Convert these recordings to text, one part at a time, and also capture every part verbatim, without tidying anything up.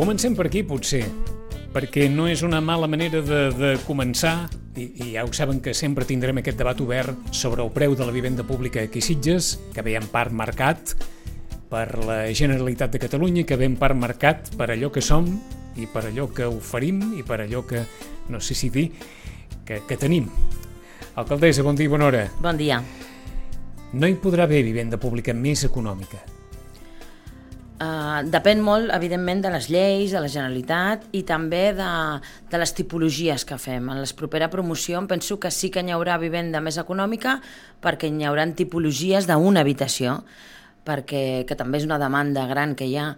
Comencem per aquí, potser, perquè no és una mala manera de, de començar, i, i ja ho saben que sempre tindrem aquest debat obert sobre el preu de la vivenda pública aquí a Sitges, que ve en part marcat per la Generalitat de Catalunya, que ve en part marcat per allò que som i per allò que oferim i per allò que, no sé si dir, que, que tenim. Alcaldessa, bon dia i bona hora. Bon dia. No hi podrà haver vivenda pública més econòmica? Uh, depèn molt, evidentment, de les lleis, de la Generalitat i també de, de les tipologies que fem. En la propera promoció em penso que sí que n'hi haurà vivenda més econòmica perquè n'hi haurà tipologies d'una habitació, perquè que també és una demanda gran que hi ha,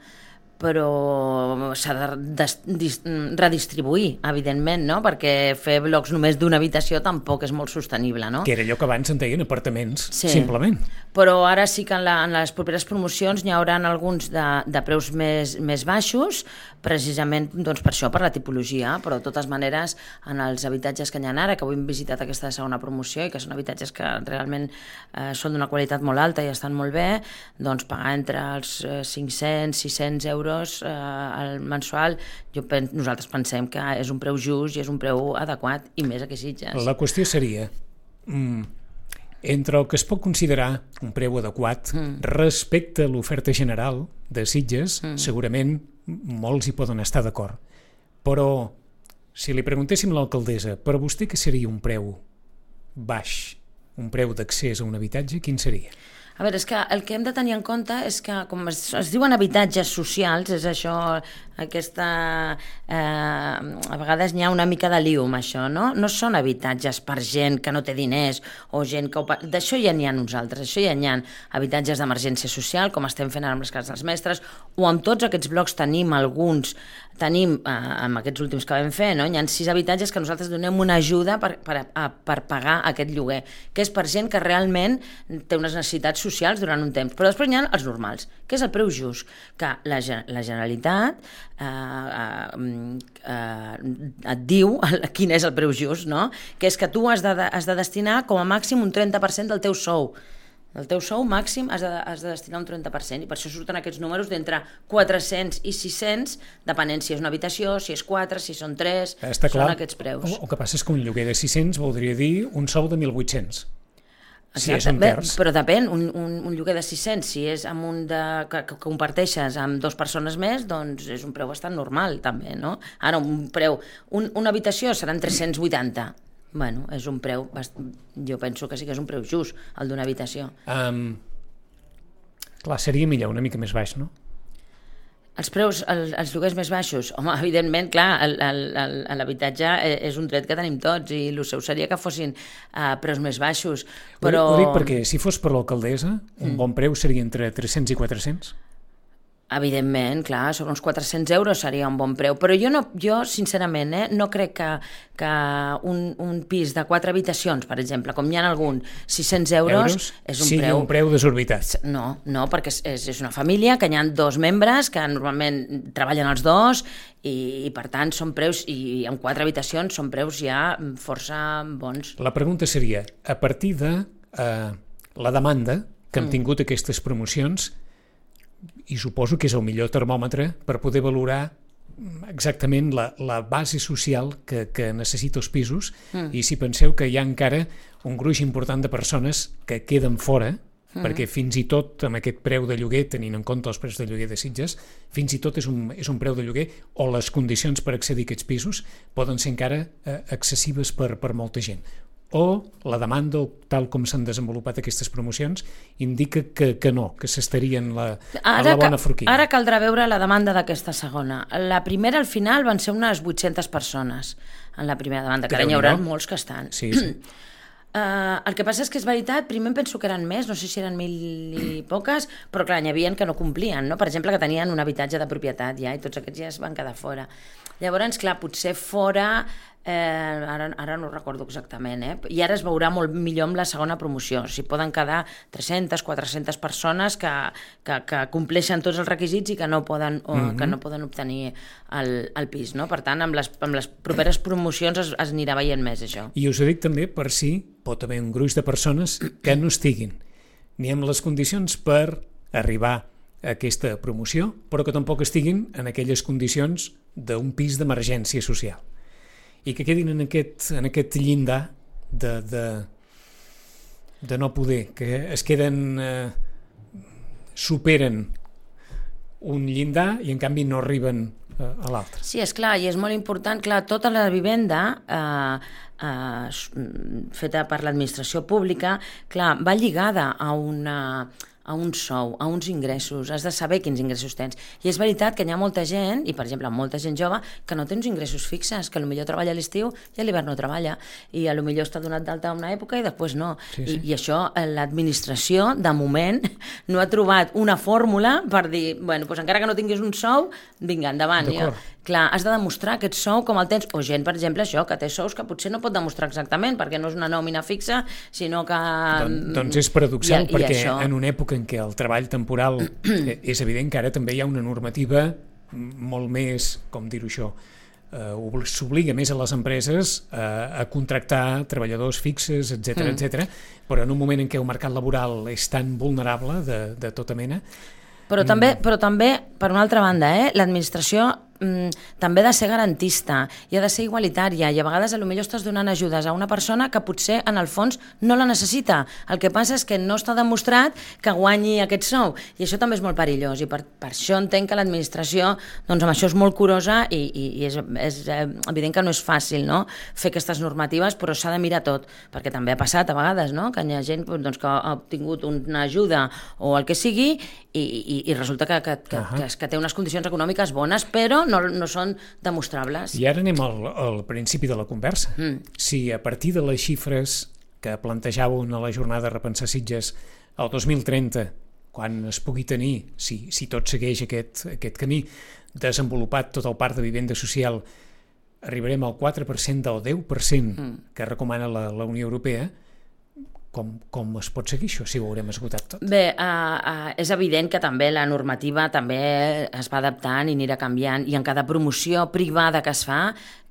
però s'ha de des, dis, redistribuir, evidentment, no? Perquè fer blocs només d'una habitació tampoc és molt sostenible, no? Que era allò que abans en deien apartaments, sí. Simplement. Però ara sí que en, la, en les properes promocions n'hi haurà alguns de, de preus més, més baixos, precisament doncs, per això, per la tipologia, però de totes maneres en els habitatges que n'hi ha ara, que avui hem visitat aquesta segona promoció i que són habitatges que realment eh, són d'una qualitat molt alta i estan molt bé, doncs pagar entre els eh, cinc-cents sis-cents euros eh, al mensual, jo pen, nosaltres pensem que és un preu just i és un preu adequat, i més aquí a Sitges. La qüestió seria... Mm, entre el que es pot considerar un preu adequat mm. respecte a l'oferta general de Sitges, mm. segurament molts hi poden estar d'acord. Però, si li preguntéssim a l'alcaldessa, per a vostè què seria un preu baix, un preu d'accés a un habitatge, quin seria? A veure, és que el que hem de tenir en compte és que, com es, es diuen habitatges socials, és això, aquesta... Eh, a vegades n'hi ha una mica de liu amb això, no? No són habitatges per gent que no té diners o gent que... Ho... D'això ja n'hi ha nosaltres, això ja n'hi ha habitatges d'emergència social, com estem fent ara amb les cases dels mestres, o amb tots aquests blocs tenim alguns, tenim, eh, amb aquests últims que vam fer, no? Hi ha sis habitatges que nosaltres donem una ajuda per, per, a, per pagar aquest lloguer, que és per gent que realment té unes necessitats socials durant un temps, però després hi ha els normals, que és el preu just, que la, la Generalitat eh, eh, eh, et diu quin és el preu just, no? Que és que tu has de, has de destinar com a màxim un trenta per cent del teu sou. El teu sou màxim has de, has de destinar un trenta per cent, i per això surten aquests números d'entre quatre-cents i sis-cents, depenent si és una habitació, si és quatre, si són tres, Està són clar. Aquests preus. El, el que passa és que un lloguer de sis-cents voldria dir un sou de mil vuit-cents. Si és un Bé, terç. però depèn, un, un, un lloguer de sis-cents, si és amb un de, que, que comparteixes amb dues persones més, doncs és un preu bastant normal, també, no? Ara, un preu, un, una habitació seran tres-cents vuitanta. Bueno, és un preu, jo penso que sí que és un preu just, el d'una habitació. Um, clar, seria millor, una mica més baix, no? Els preus, el, els lloguers més baixos, home, evidentment, clar, l'habitatge és un dret que tenim tots i el seu seria que fossin uh, preus més baixos, però... Ho dic perquè si fos per l'alcaldessa, un mm. bon preu seria entre tres-cents i quatre-cents. Evidentment, clar, sobre uns quatre-cents euros seria un bon preu, però jo, no, jo sincerament, eh, no crec que, que un, un pis de quatre habitacions, per exemple, com n'hi ha algun, sis-cents euros, euros és un sigui preu... un preu desorbitat. No, no, perquè és, és una família que n'hi ha dos membres que normalment treballen els dos i, i per tant són preus, i amb quatre habitacions són preus ja força bons. La pregunta seria, a partir de eh, la demanda que han mm. tingut aquestes promocions, i suposo que és el millor termòmetre per poder valorar exactament la, la base social que, que necessita els pisos, mm. i si penseu que hi ha encara un gruix important de persones que queden fora, mm. perquè fins i tot amb aquest preu de lloguer, tenint en compte els preus de lloguer de Sitges, fins i tot és un, és un preu de lloguer, o les condicions per accedir a aquests pisos poden ser encara eh, excessives per, per molta gent. O la demanda, tal com s'han desenvolupat aquestes promocions, indica que, que no, que s'estarien la, a la bona forquilla. Ara caldrà veure la demanda d'aquesta segona. La primera, al final, van ser unes vuit-centes persones en la primera demanda, que ara n'hi haurà molts que estan. Sí, sí. Uh, el que passa és que és veritat, primer em penso que eren més, no sé si eren mil i poques, però clar, n'hi havia que no complien, no? Per exemple, que tenien un habitatge de propietat ja, i tots aquests ja es van quedar fora. Llavors, clar, potser fora, eh, ara, ara no recordo exactament, eh? I ara es veurà molt millor amb la segona promoció, si poden quedar tres-centes, quatre-centes persones que, que, que compleixen tots els requisits i que no poden, o, mm-hmm. que no poden obtenir el, el pis, no? Per tant, amb les, amb les properes promocions es, es anirà veient més això. I us ho dic també per si pot haver un gruix de persones que no estiguin ni amb les condicions per arribar aquesta promoció, però que tampoc estiguin en aquelles condicions d'un pis d'emergència social. I que quedin en aquest, en aquest llindar de, de, de no poder, que es queden, eh, superen un llindar i en canvi no arriben eh, a l'altre. Sí, és clar, i és molt important, clar, tota la vivenda eh, eh, feta per l'administració pública, clar, va lligada a una... a un sou, a uns ingressos, has de saber quins ingressos tens. I és veritat que hi ha molta gent, i per exemple molta gent jove, que no té uns ingressos fixes, que potser treballa a l'estiu i a l'hivern no treballa, i potser està donat d'alta una època i després no. Sí, sí. I, I això l'administració, de moment, no ha trobat una fórmula per dir, bueno, doncs encara que no tinguis un sou, vinga, endavant. Ja. Clar, has de demostrar aquest sou com el tens, o gent, per exemple, això, que té sous que potser no pot demostrar exactament, perquè no és una nòmina fixa, sinó que... Don, doncs és paradoxal, I, perquè i això... en una època en què el treball temporal és evident que ara també hi ha una normativa molt més, com dir-ho això, eh, s'obliga més a les empreses eh, a contractar treballadors fixes, etcètera, mm. etcètera, però en un moment en què el mercat laboral és tan vulnerable de, de tota mena... Però també, però també, per una altra banda, eh, l'administració mm, també ha de ser garantista i ha de ser igualitària, i a vegades potser estàs donant ajudes a una persona que potser en el fons no la necessita. El que passa és que no està demostrat que guanyi aquest sou, i això també és molt perillós, i per, per això entenc que l'administració doncs, amb això és molt curosa, i, i, i és, és evident que no és fàcil, no?, fer aquestes normatives, però s'ha de mirar tot, perquè també ha passat a vegades, no?, que hi ha gent doncs, que ha obtingut una ajuda o el que sigui, i, i, i resulta que, que, que, uh-huh. que, que té unes condicions econòmiques bones, però no, no són demostrables. I ara anem al, al principi de la conversa. Mm. Si a partir de les xifres que plantejàveu a la jornada Repensar Sitges el dos mil trenta, quan es pugui tenir, si, si tot segueix aquest, aquest camí, desenvolupat tot el parc de vivenda social, arribarem al quatre per cent del deu per cent mm. que recomana la, la Unió Europea. Com, com es pot seguir això, si ho haurem esgotat tot? Bé, uh, uh, és evident que també la normativa també es va adaptant i anirà canviant, i en cada promoció privada que es fa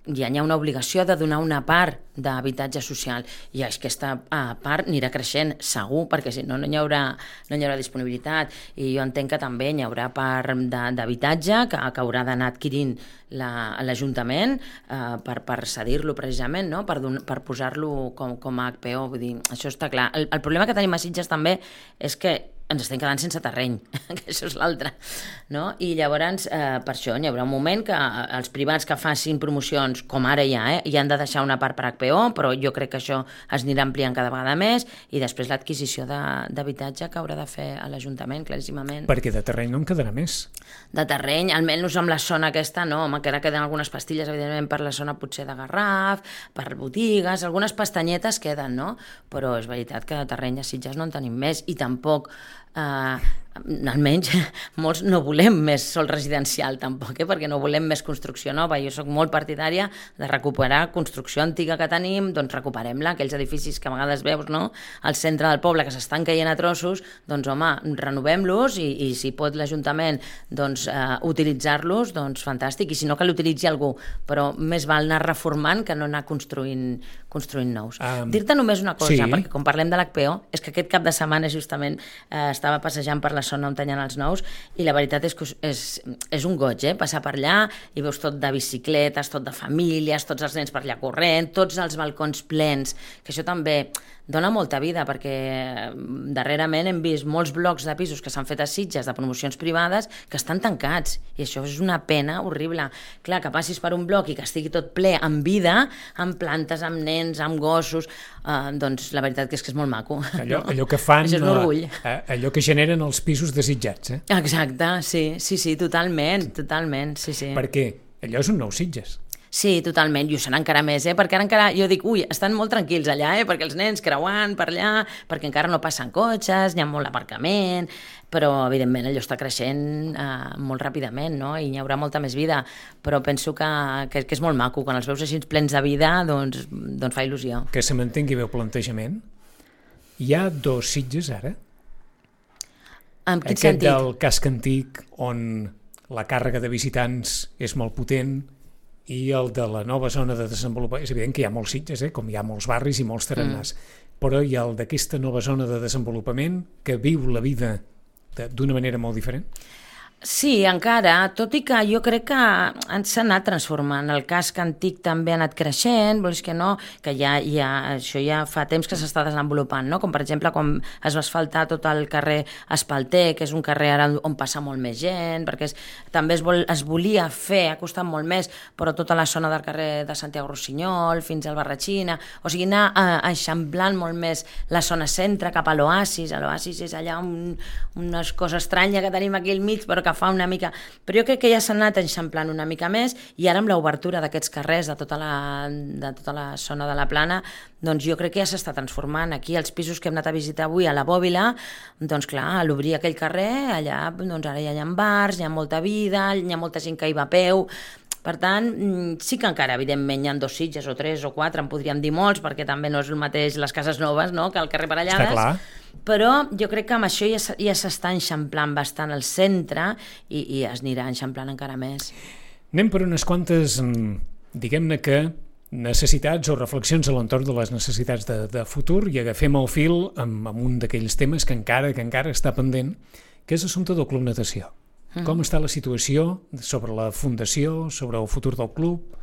ja hi ha una obligació de donar una part d'habitatge social, i aquesta uh, part anirà creixent segur, perquè si no no hi haurà, no hi haurà disponibilitat, i jo entenc que també hi haurà part d'habitatge que, que haurà d'anar adquirint l'Ajuntament uh, per, per cedir-lo precisament, no? per, per posar-lo com, com a H P O, vull dir, això està clar. El, el problema que tenim a Sitges també és que ens estem quedant sense terreny, que això és l'altre, no? I llavors, eh, per això, hi haurà un moment que els privats que facin promocions, com ara ja, eh, hi han de deixar una part per H P O, però jo crec que això es anirà ampliant cada vegada més, i després l'adquisició d'habitatge que haurà de fer a l'Ajuntament, claríssimament. Perquè de terreny no en quedarà més. De terreny, almenys amb la zona aquesta, no, home, que ara queden algunes pastilles, evidentment, per la zona potser de Garraf, per botigues, algunes pestanyetes queden, no? Però és veritat que de terreny a Sitges no en tenim més, i tampoc Uh, almenys molts no volem més sol residencial tampoc, eh? Perquè no volem més construcció nova. Jo sóc molt partidària de recuperar construcció antiga que tenim, doncs recuperem-la, aquells edificis que a vegades veus, no?, al centre del poble que s'estan caient a trossos, doncs home, renovem-los, i, i si pot l'Ajuntament doncs, uh, utilitzar-los, doncs fantàstic, i si no, que l'utilitzi algú, però més val anar reformant que no anar construint, construint nous. Um, Dir-te només una cosa, sí. Perquè com parlem de l'H P O, és que aquest cap de setmana justament eh, estava passejant per la zona on tenien els nous, i la veritat és que és, és un goig, eh? Passar per allà i veus tot de bicicletes, tot de famílies, tots els nens per allà corrent, tots els balcons plens, que això també dona molta vida, perquè darrerament hem vist molts blocs de pisos que s'han fet a Sitges de promocions privades que estan tancats, i això és una pena horrible. Clar, que passis per un bloc i que estigui tot ple amb vida, amb plantes, amb nens, amb gossos, eh, doncs la veritat que és que és molt maco. Allò, no? allò que fan, això és un orgull. Eh, allò que generen els pisos desitjats, eh? Exacte, sí, sí, sí, totalment, totalment, sí, sí. Perquè allò és un nou Sitges. Sí, totalment, i ho serà encara més, eh? Perquè ara encara, jo dic, ui, estan molt tranquils allà, eh? Perquè els nens creuant per allà, perquè encara no passen cotxes, hi ha molt aparcament, però evidentment allò està creixent eh, molt ràpidament, no? I hi haurà molta més vida, però penso que, que, que és molt maco, quan els veus així plens de vida, doncs, doncs fa il·lusió. Que se m'entengui bé el plantejament, hi ha dos Sitges ara? En quin Aquest sentit? del casc antic, on la càrrega de visitants és molt potent, i el de la nova zona de desenvolupament. És evident que hi ha molts Sitges, eh? Com hi ha molts barris i molts tarannàs, mm. però hi ha el d'aquesta nova zona de desenvolupament que viu la vida d'una manera molt diferent? Sí, encara, tot i que jo crec que s'ha anat transformant. El casc antic també ha anat creixent, vols que no, que ja, ja, això ja fa temps que s'està desenvolupant, no? Com per exemple quan es va asfaltar tot el carrer Espalter, que és un carrer ara on passa molt més gent, perquè és, també es, vol, es volia fer, ha costat molt més, però tota la zona del carrer de Santiago Rossinyol fins al Barratxina, o sigui, anar eixamplant molt més la zona centre cap a l'Oasis. L'Oasis és allà un, una cosa estranya que tenim aquí al mig, però que fa una mica... Però jo crec que ja s'ha anat eixamplant una mica més i ara amb l'obertura d'aquests carrers de tota, la, de tota la zona de la Plana, doncs jo crec que ja s'està transformant. Aquí els pisos que hem anat a visitar avui a la Bòbila, doncs clar, a l'obrir aquell carrer, allà doncs ara ja hi ha bars, hi ha molta vida, hi ha molta gent que hi va a peu. Per tant, sí que encara, evidentment, hi ha dos Sitges o tres o quatre, en podríem dir molts, perquè també no és el mateix les cases noves, no?, que el carrer Parellades. Està clar. Però jo crec que amb això ja, ja s'està eixamplant bastant el centre i, i es anirà eixamplant encara més. Anem per unes quantes, diguem-ne que, necessitats o reflexions a l'entorn de les necessitats de, de futur i agafem el fil amb, amb un d'aquells temes que encara que encara està pendent, que és l'assumpte del Club Natació. Mm. Com està la situació sobre la fundació, sobre el futur del club?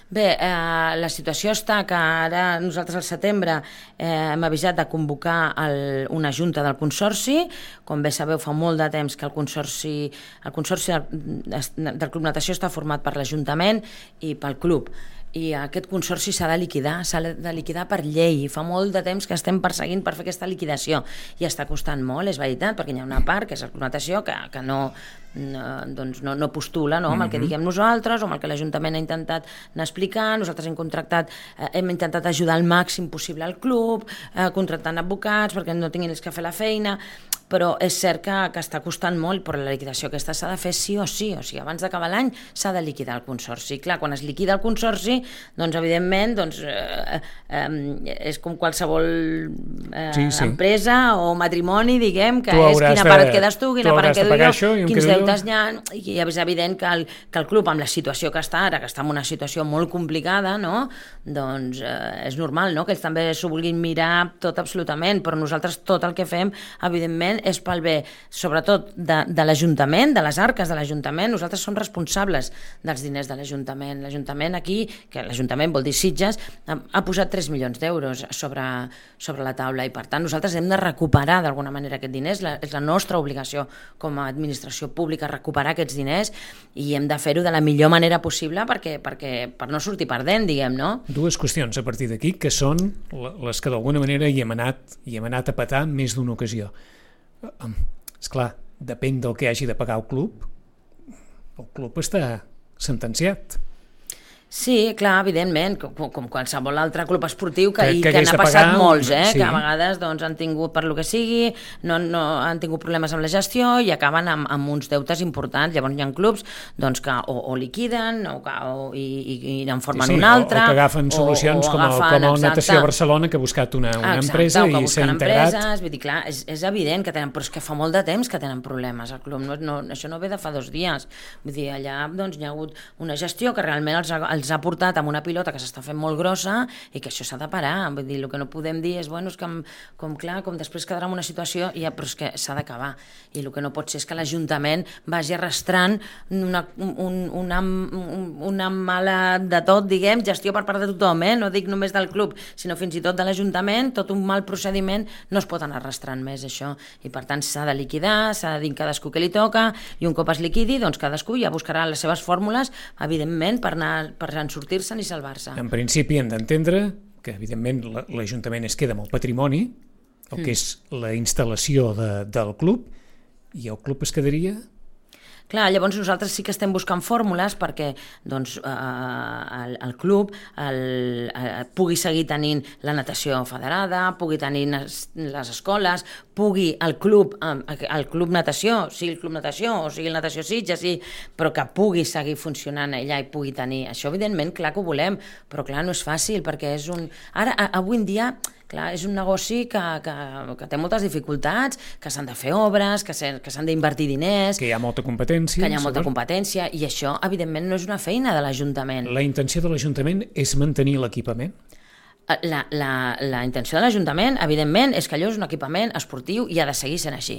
Bé, eh, la situació està que ara nosaltres al setembre eh, hem avisat de convocar el, una junta del Consorci. Com bé sabeu, fa molt de temps que el Consorci, el consorci del, del Club Natació està format per l'Ajuntament i pel club. I aquest consorci s'ha de liquidar, s'ha de liquidar per llei. Fa molt de temps que estem perseguint per fer aquesta liquidació i està costant molt, és veritat, perquè hi ha una part, que és el Club Natació, que, que no, no, doncs no, no postula, no, amb el que diguem nosaltres o amb el que l'Ajuntament ha intentat anar explicant. Nosaltres hem contractat, eh, hem intentat ajudar al màxim possible al club, eh, contractant advocats perquè no tinguin els que fer la feina, però és cert que, que està costant molt, però la liquidació aquesta s'ha de fer sí o sí, o sigui, abans d'acabar l'any s'ha de liquidar el Consorci. Clar, quan es liquida el Consorci, doncs evidentment doncs, eh, eh, és com qualsevol eh, sí, sí. empresa o matrimoni, diguem, que és quina part et quedes tu, quina part et quedo jo, quins deutes hi ha, i és evident que el, que el club, amb la situació que està ara, que està en una situació molt complicada, no? Doncs eh, és normal, no?, que ells també s'ho vulguin mirar tot absolutament, però nosaltres tot el que fem, evidentment, és pel bé, sobretot de, de l'Ajuntament, de les arques de l'Ajuntament. Nosaltres som responsables dels diners de l'Ajuntament. L'Ajuntament aquí, que l'Ajuntament vol dir Sitges, ha, ha posat tres milions d'euros sobre, sobre la taula i per tant nosaltres hem de recuperar d'alguna manera aquests diners. La, és la nostra obligació com a administració pública recuperar aquests diners i hem de fer-ho de la millor manera possible perquè, perquè, per no sortir perdent, diguem, no? Dues qüestions a partir d'aquí que són les que d'alguna manera hi hem anat, hi hem anat a petar més d'una ocasió. Esclar, depèn del que hagi de pagar el club, el club està sentenciat. Sí, clar, evidentment, com, com qualsevol altre club esportiu que, que, que, que n'ha passat pagar, molts, eh? Sí. Que a vegades doncs, han tingut, per lo que sigui, no, no han tingut problemes amb la gestió i acaben amb, amb uns deutes importants. Llavors hi ha clubs doncs, que o, o liquiden o, o, i, i en formen sí, sí, un altre. O, o que agafen solucions o, o com, agafen, el, com el Natació Barcelona, que ha buscat una, una exacte, empresa i s'ha integrat. Empreses, vull dir, clar, és, és evident que tenen, però és que fa molt de temps que tenen problemes al club. No, no, això no ve de fa dos dies. Vull dir, allà doncs, hi ha hagut una gestió que realment els ha els ha portat amb una pilota que s'està fent molt grossa i que això s'ha de parar. Vull dir, el que no podem dir és, bueno, és que com clar, com després quedarà en una situació, ja, però és que s'ha d'acabar. I el que no pot ser és que l'Ajuntament vagi arrastrant una, un, una, una mala de tot, diguem, gestió per part de tothom, eh? No dic només del club, sinó fins i tot de l'Ajuntament, tot un mal procediment, no es pot anar arrastrant més això. I per tant s'ha de liquidar, s'ha de dir cadascú que li toca, i un cop es liquidi, doncs cadascú ja buscarà les seves fórmules, evidentment, per anar per en sortir-se'n i salvar-se. En principi hem d'entendre que, evidentment, l'Ajuntament es queda amb el patrimoni, el que és la instal·lació de, del club, i el club es quedaria... Clar, llavors nosaltres sí que estem buscant fórmules perquè doncs, eh, el, el club el, eh, pugui seguir tenint la natació federada, pugui tenir les, les escoles, pugui el club, el club natació, sigui el club natació o sigui el natació Sitges, sí, però que pugui seguir funcionant allà i pugui tenir... Això, evidentment, clar que ho volem, però clar, no és fàcil perquè és un... Ara, avui en dia... Clar, és un negoci que, que, que té moltes dificultats, que s'han de fer obres, que s'han d'invertir diners... Que hi ha molta competència. Que hi ha molta competència, i això, evidentment, no és una feina de l'Ajuntament. La intenció de l'Ajuntament és mantenir l'equipament? La, la, la intenció de l'Ajuntament, evidentment, és que allò és un equipament esportiu i ha de seguir sent així.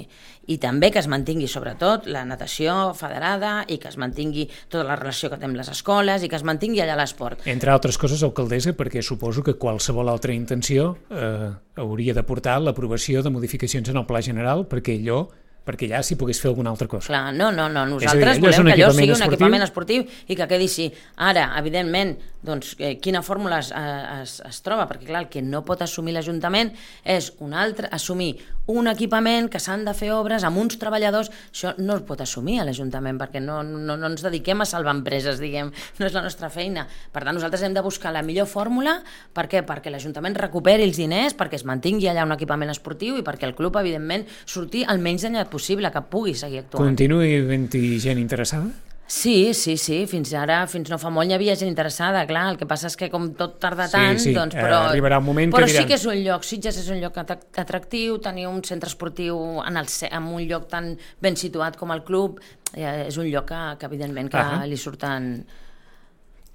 I també que es mantingui, sobretot, la natació federada i que es mantingui tota la relació que té amb les escoles i que es mantingui allà l'esport. Entre altres coses, alcaldessa, perquè suposo que qualsevol altra intenció eh, hauria de portar l'aprovació de modificacions en el Pla General perquè allò perquè ja s'hi pogués fer alguna altra cosa. Clar, no, no, no. Nosaltres dir, volem que allò sigui un equipament esportiu i que quedi així. Ara, evidentment, doncs, eh, quina fórmula es, es, es troba? Perquè, clar, el que no pot assumir l'Ajuntament és un altre, assumir un equipament que s'han de fer obres amb uns treballadors. Això no es pot assumir a l'Ajuntament perquè no, no, no ens dediquem a salvar empreses, diguem, no és la nostra feina. Per tant, nosaltres hem de buscar la millor fórmula. Per què? Perquè l'Ajuntament recuperi els diners, perquè es mantingui allà un equipament esportiu i perquè el club, evidentment, surti el menys danyat possible, que pugui seguir actuant. Continuï havent-hi gent interessada? Sí, sí, sí, fins ara, fins no fa molt hi havia gent interessada, clar, el que passa és que com tot tarda tant, sí, sí. doncs, però, eh, arribarà un moment però que diran... sí que és un lloc, Sitges és un lloc atractiu, tenir un centre esportiu en, el, en un lloc tan ben situat com el club, eh, és un lloc que, que evidentment que ah, li surten...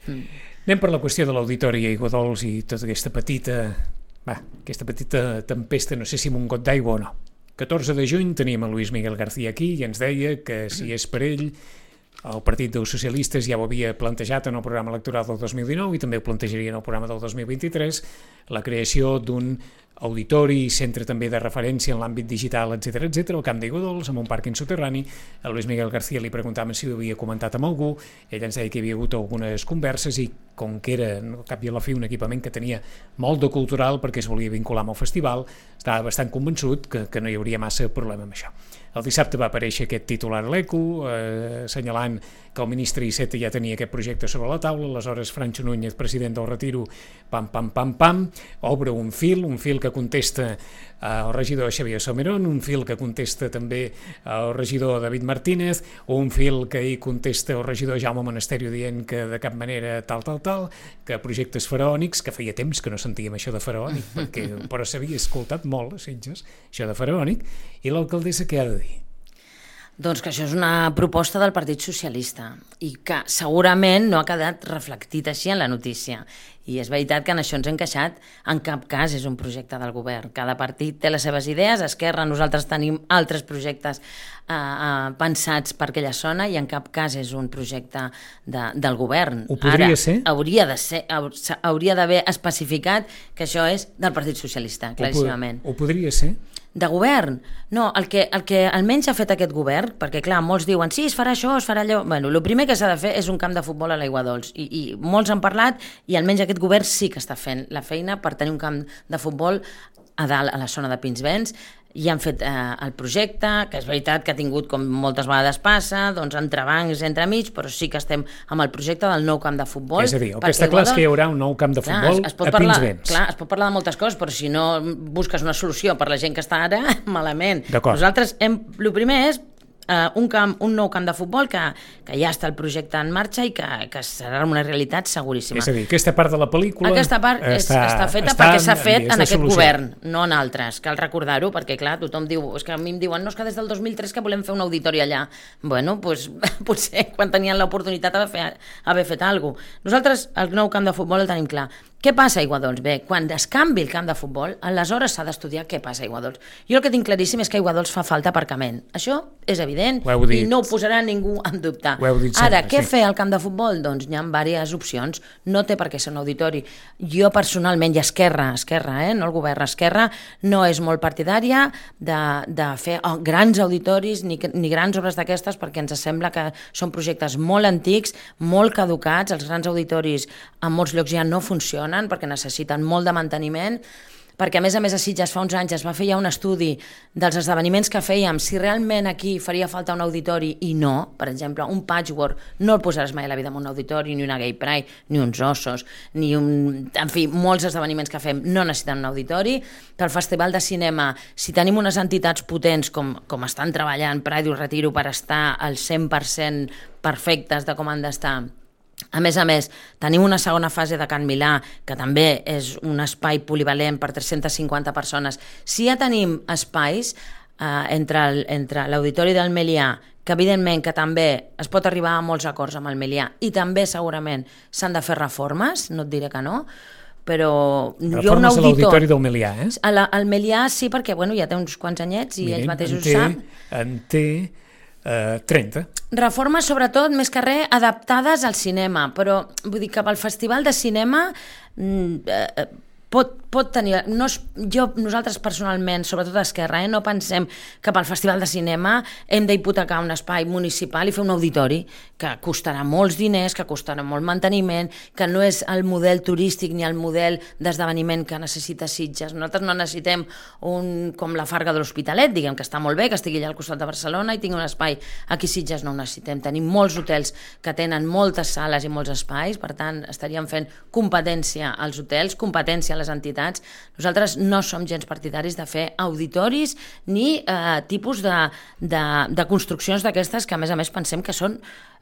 Mm. Anem per la qüestió de l'auditori a Aiguadols i tota aquesta petita, va, aquesta petita tempesta, no sé si amb un got d'aigua o no. catorze de juny teníem a Luis Miguel García aquí i ens deia que si és per ell el Partit dels Socialistes ja ho havia plantejat en el programa electoral del dos mil dinou i també ho plantejaria en el programa del dos mil vint-i-tres, la creació d'un auditori, centre també de referència en l'àmbit digital, etcètera, etcètera, al Camp d'Aiguadols, amb un pàrquing soterrani. A Luis Miguel García li preguntàvem si ho havia comentat amb algú, ell ens deia que hi havia hagut algunes converses i com que era, al cap i a la fi, un equipament que tenia molt de cultural perquè es volia vincular amb el festival, estava bastant convençut que, que no hi hauria massa problema amb això. El dissabte va aparèixer aquest titular a l'Eco, eh, assenyalant que el ministre Iceta ja tenia aquest projecte sobre la taula, aleshores Francho Núñez, president del Retiro, pam, pam, pam, pam, obre un fil, un fil que contesta al regidor Xavier Somerón, un fil que contesta també al regidor David Martínez, un fil que hi contesta el regidor Jaume Monasterio dient que de cap manera tal, tal, tal, que projectes faraònics, que feia temps que no sentíem això de faraònic, perquè, però s'havia escoltat molt a Sitges, això de faraònic, i l'alcaldessa què ha de dir? Doncs que això és una proposta del Partit Socialista i que segurament no ha quedat reflectit així en la notícia. I és veritat que en això ens hem queixat, en cap cas és un projecte del govern. Cada partit té les seves idees, Esquerra, nosaltres tenim altres projectes eh, eh, pensats per aquella zona i en cap cas és un projecte de, del govern. Ho podria Ara, ser? Hauria de ser, hauria d'haver especificat que això és del Partit Socialista, claríssimament. Ho, ho podria ser? De govern? No, el que, el que almenys ha fet aquest govern, perquè clar, molts diuen sí, es farà això, es farà allò... Bueno, el primer que s'ha de fer és un camp de futbol a l'Aiguadols i, i molts han parlat i almenys aquest govern sí que està fent la feina per tenir un camp de futbol a dalt, a la zona de Pinsbens, i han fet eh, el projecte, que és veritat que ha tingut, com moltes vegades passa, doncs entrebancs entremig, però sí que estem amb el projecte del nou camp de futbol. És a dir, el que està clar és que hi haurà un nou camp de futbol clar, es, es a parlar, Pinsbens. Clar, es pot parlar de moltes coses, però si no busques una solució per la gent que està ara, malament. Nosaltres, hem, el primer és Uh, un, camp, un nou camp de futbol que, que ja està el projecte en marxa i que, que serà una realitat seguríssima. És a dir, aquesta part de la pel·lícula aquesta part és, està, està feta està perquè s'ha fet en aquest solució. Govern, no en altres. Cal recordar-ho perquè, clar, tothom diu, és que a mi em diuen, no, és que des del dos mil tres que volem fer un auditori allà. Bueno, doncs potser quan tenien l'oportunitat haver, fer, haver fet alguna cosa. Nosaltres el nou camp de futbol el tenim clar. Què passa a Aiguadols? Bé, quan es canvi el camp de futbol, aleshores s'ha d'estudiar què passa a Aiguadols. Jo el que tinc claríssim és que a Aiguadols fa falta aparcament. Això és evident i no ho posarà ningú en dubte. Ara, què sí. fer al camp de futbol? Doncs hi ha diverses opcions. No té per què ser un auditori. Jo personalment, i Esquerra, Esquerra, eh? no el govern, Esquerra, no és molt partidària de, de fer oh, grans auditoris ni, ni grans obres d'aquestes perquè ens sembla que són projectes molt antics, molt caducats. Els grans auditoris en molts llocs ja no funcionen perquè necessiten molt de manteniment, perquè a més a més a Sitges fa uns anys es va fer ja un estudi dels esdeveniments que fèiem, si realment aquí faria falta un auditori i no, per exemple, un patchwork no el posaràs mai a la vida en un auditori, ni una gay pride, ni uns ossos, ni un... en fi, molts esdeveniments que fem no necessiten un auditori. Pel Festival de Cinema, si tenim unes entitats potents com, com estan treballant Pride i Retiro per estar al cent per cent perfectes de com han d'estar, a més a més, tenim una segona fase de Can Milà, que també és un espai polivalent per tres-centes cinquanta persones. Si ja tenim espais eh, entre, el, entre l'Auditori del Melià, que evidentment que també es pot arribar a molts acords amb el Melià, i també segurament s'han de fer reformes, no et diré que no, però Reformes jo un auditor... a l'auditori del Melià, eh? A la, al Melià sí, perquè bueno, ja té uns quants anyets i ells mateixos ho saben. En té eh, trenta. Reformes, sobretot, més que res, adaptades al cinema, però vull dir que pel Festival de Cinema eh, pot, pot tenir... No és, jo, nosaltres personalment, sobretot a Esquerra, eh, no pensem que pel Festival de Cinema hem d'hipotecar un espai municipal i fer un auditori que costarà molts diners, que costarà molt manteniment, que no és el model turístic ni el model d'esdeveniment que necessita Sitges. Nosaltres no necessitem un, com la Farga de l'Hospitalet, diguem que està molt bé, que estigui allà al costat de Barcelona i tingui un espai. Aquí a Sitges no ho necessitem. Tenim molts hotels que tenen moltes sales i molts espais, per tant estaríem fent competència als hotels, competència a les entitats. Nosaltres no som gens partidaris de fer auditoris ni eh, tipus de, de, de construccions d'aquestes que a més a més pensem que són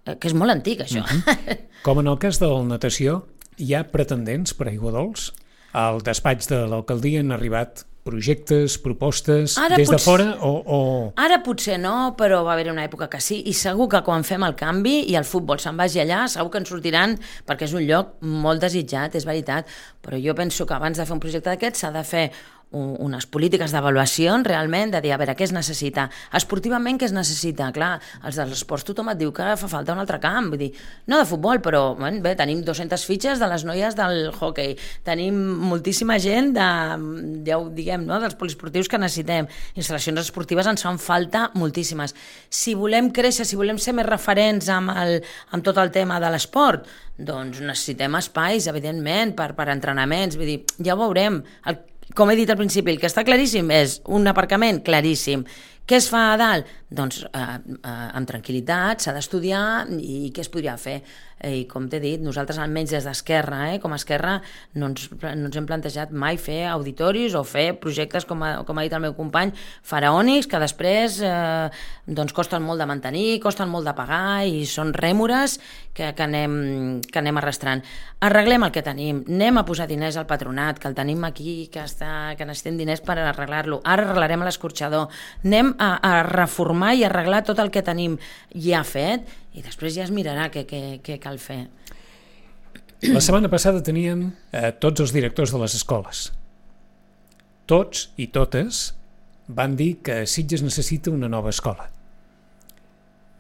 eh, que és molt antic això. Mm-hmm. Com en el cas de la natació, hi ha pretendents per Aigua Dols? Al despatx de l'alcaldia han arribat projectes, propostes, ara des de potser, fora o, o... Ara potser no, però va haver una època que sí, i segur que quan fem el canvi i el futbol se'n vagi allà, segur que ens sortiran, perquè és un lloc molt desitjat, és veritat, però jo penso que abans de fer un projecte d'aquest s'ha de fer unes polítiques d'avaluació realment, de dir a veure què es necessita esportivament, què es necessita. Clar, els dels esports tothom et diu que fa falta un altre camp, vull dir, no de futbol, però bueno, bé, tenim dues-centes fitxes de les noies del hockey, tenim moltíssima gent de, ja ho diguem, no? Dels poliesportius que necessitem, instal·lacions esportives ens fan falta moltíssimes. Si volem créixer, si volem ser més referents amb, el, amb tot el tema de l'esport, doncs necessitem espais, evidentment, per, per entrenaments, vull dir, ja ho veurem. El Com he dit al principi, el que està claríssim és un aparcament claríssim. Què es fa a dalt? Doncs eh, eh, amb tranquil·litat, s'ha d'estudiar i què es podria fer. I com t'he dit, nosaltres almenys des d'Esquerra, eh, com a Esquerra, no ens, no ens hem plantejat mai fer auditoris o fer projectes, com ha, com ha dit el meu company, faraònics, que després eh, doncs costen molt de mantenir, costen molt de pagar i són rèmores que, que, anem, que anem arrastrant. Arreglem el que tenim, anem a posar diners al patronat, que el tenim aquí, que, està, que necessitem diners per arreglar-lo. Ara arreglarem l'escorxador, anem a, a reformar i arreglar tot el que tenim ja fet i després ja es mirarà què, què, què cal fer. La setmana passada teníem eh, tots els directors de les escoles. Tots i totes van dir que Sitges necessita una nova escola.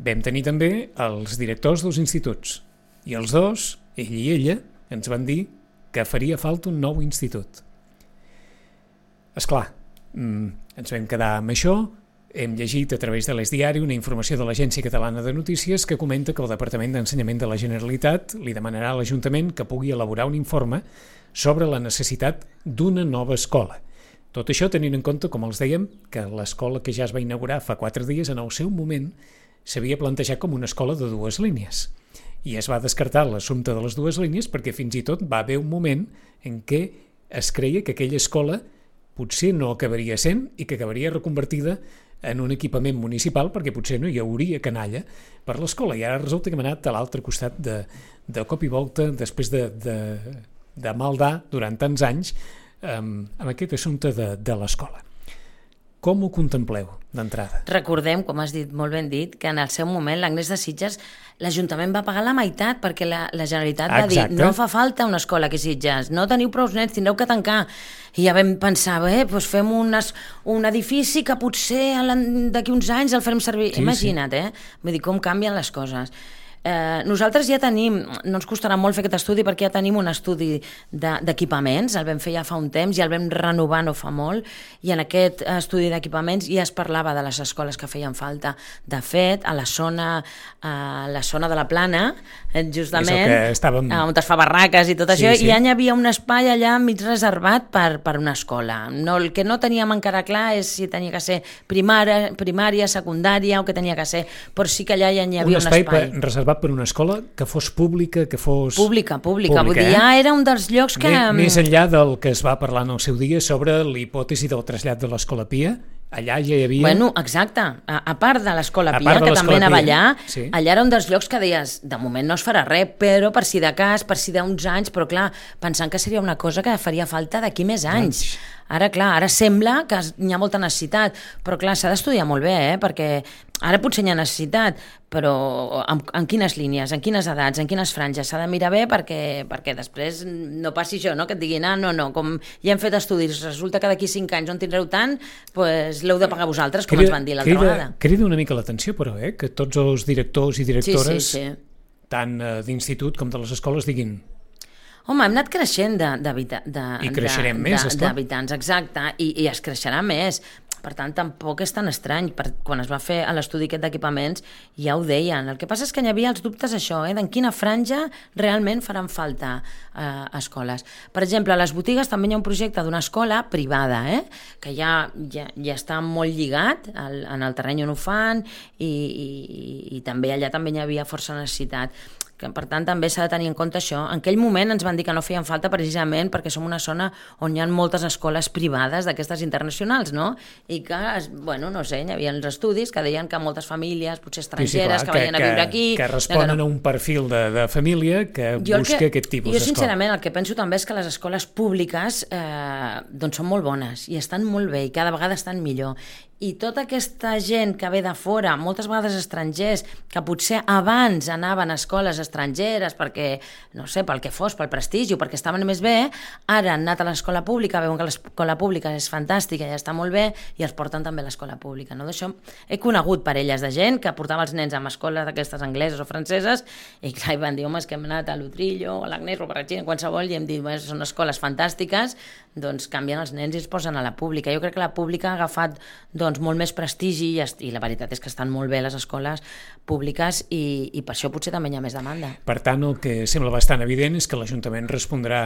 Vam tenir també els directors dels instituts i els dos, ell i ella, ens van dir que faria falta un nou institut. Esclar, ens vam quedar amb això. Hem llegit a través de l'Es Diari una informació de l'Agència Catalana de Notícies que comenta que el Departament d'Ensenyament de la Generalitat li demanarà a l'Ajuntament que pugui elaborar un informe sobre la necessitat d'una nova escola. Tot això tenint en compte, com els dèiem, que l'escola que ja es va inaugurar fa quatre dies en el seu moment s'havia plantejat com una escola de dues línies. I es va descartar l'assumpte de les dues línies perquè fins i tot va haver un moment en què es creia que aquella escola potser no acabaria sent i que acabaria reconvertida en un equipament municipal perquè potser no hi hauria canalla per l'escola i ara resulta que hem anat a l'altre costat de, de cop i volta després de, de, de maldar durant tants anys um, amb aquest assumpte de, de l'escola. Com ho contempleu d'entrada? Recordem, com has dit, molt ben dit, que en el seu moment l'Agnès de Sitges l'Ajuntament va pagar la meitat perquè la, la Generalitat va Exacte. dir no fa falta una escola aquí a Sitges, no teniu prou nens, tindreu que tancar. I ja vam pensar, bé, doncs fem unes, un edifici que potser d'aquí uns anys el farem servir. Sí, Imagina't, sí. eh? Vull dir, com canvien les coses. Eh, nosaltres ja tenim, no ens costarà molt fer aquest estudi perquè ja tenim un estudi d'equipaments, el vam fer ja fa un temps i el vam renovar no fa molt, i en aquest estudi d'equipaments ja es parlava de les escoles que feien falta. De fet, a la zona, a la zona de la Plana, justament, estàvem... on es fa barraques i tot sí, això, sí. ja hi havia un espai allà mig reservat per, per una escola. No, el que no teníem encara clar és si tenia que ser primària, primària, secundària o què tenia que ser, però sí que allà ja hi havia un espai. Un espai reservat per una escola que fos pública, que fos... Pública, pública, pública vull dir, eh? Ja era un dels llocs que... Més enllà del que es va parlar en el seu dia sobre l'hipòtesi del trasllat de l'Escola Pia, allà ja hi havia... Bueno, exacte, a, a part de l'Escola Pia, que també anava allà, sí. allà era un dels llocs que deies, de moment no es farà res, però per si de cas, per si d'uns anys, però clar, pensant que seria una cosa que faria falta d'aquí més anys. Ara, clar, ara sembla que hi ha molta necessitat, però clar, s'ha d'estudiar molt bé, eh? Perquè ara potser hi ha necessitat, però en, en quines línies, en quines edats, en quines franges, s'ha de mirar bé perquè, perquè després no passi això, no? Que et diguin, ah, no, no, com ja hem fet estudis, resulta que d'aquí cinc anys no en tindreu tant, doncs l'heu de pagar vosaltres, com crida, ens van dir l'altra crida, vegada. Crida una mica l'atenció, però, eh? Que tots els directors i directores, sí, sí, sí. tant eh, d'institut com de les escoles, diguin... Home, hem anat creixent d'habitants, I creixerem més, esclar. exacte, i, i es creixerà més. Per tant, tampoc és tan estrany. Per, quan es va fer l'estudi aquest d'equipaments, ja ho deien. El que passa és que hi havia els dubtes això, eh, d'en quina franja realment faran falta eh, escoles. Per exemple, a les botigues també hi ha un projecte d'una escola privada, eh, que ja, ja, ja està molt lligat al, en el terreny on ho fan i, i, i també allà també hi havia força necessitat. Que, per tant, també s'ha de tenir en compte això. En aquell moment ens van dir que no feien falta precisament perquè som una zona on hi ha moltes escoles privades d'aquestes internacionals, no? I que, bueno, no sé, hi havia els estudis que deien que moltes famílies, potser estrangeres, sí, sí, clar, que, que venien a viure aquí... Que responen que no. a un perfil de, de família que jo busca que, aquest tipus d'escola. Jo, sincerament, el que penso també és que les escoles públiques eh, doncs són molt bones i estan molt bé i cada vegada estan millor. I tota aquesta gent que ve de fora, moltes vegades estrangers, que potser abans anaven a escoles estrangeres perquè, no sé, pel que fos, pel prestigi o perquè estaven més bé, ara han anat a l'escola pública, veuen que l'escola pública és fantàstica i està molt bé i els porten també a l'escola pública. No? D'això he conegut parelles de gent que portava els nens a escoles d'aquestes angleses o franceses i clar, van dir, home, és que hem anat a l'Utrillo, a l'Agnès, o a Parratxina, qualsevol, i hem dit, bueno, són escoles fantàstiques, doncs canvien els nens i els posen a la pública. Jo crec que la pública ha agafat doncs, molt més prestigi i, i la veritat és que estan molt bé les escoles públiques i, i per això potser també hi ha més demanda. Per tant, el que sembla bastant evident és que l'Ajuntament respondrà